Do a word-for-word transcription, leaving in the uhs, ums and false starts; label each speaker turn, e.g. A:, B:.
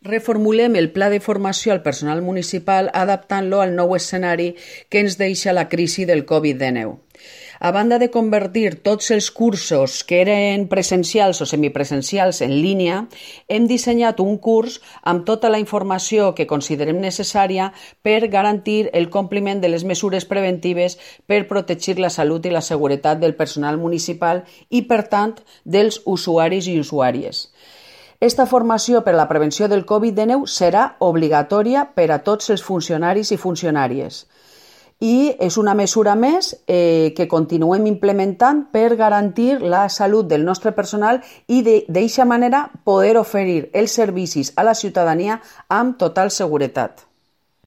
A: Reformulem el pla de formació al personal municipal adaptant-lo al nou escenari que ens deixa la crisi del covid dinou. A banda de convertir tots els cursos que eren presencials o semipresencials en línia, hem dissenyat un curs amb tota la informació que considerem necessària per garantir el compliment de les mesures preventives per protegir la salut i la seguretat del personal municipal i, per tant, dels usuaris i usuàries. Esta formació per a la prevenció del covid dinou serà obligatòria per a tots els funcionaris i funcionàries. I és una mesura més eh, que continuem implementant per garantir la salut del nostre personal i d'aquesta manera poder oferir els servicis a la ciutadania amb total seguretat.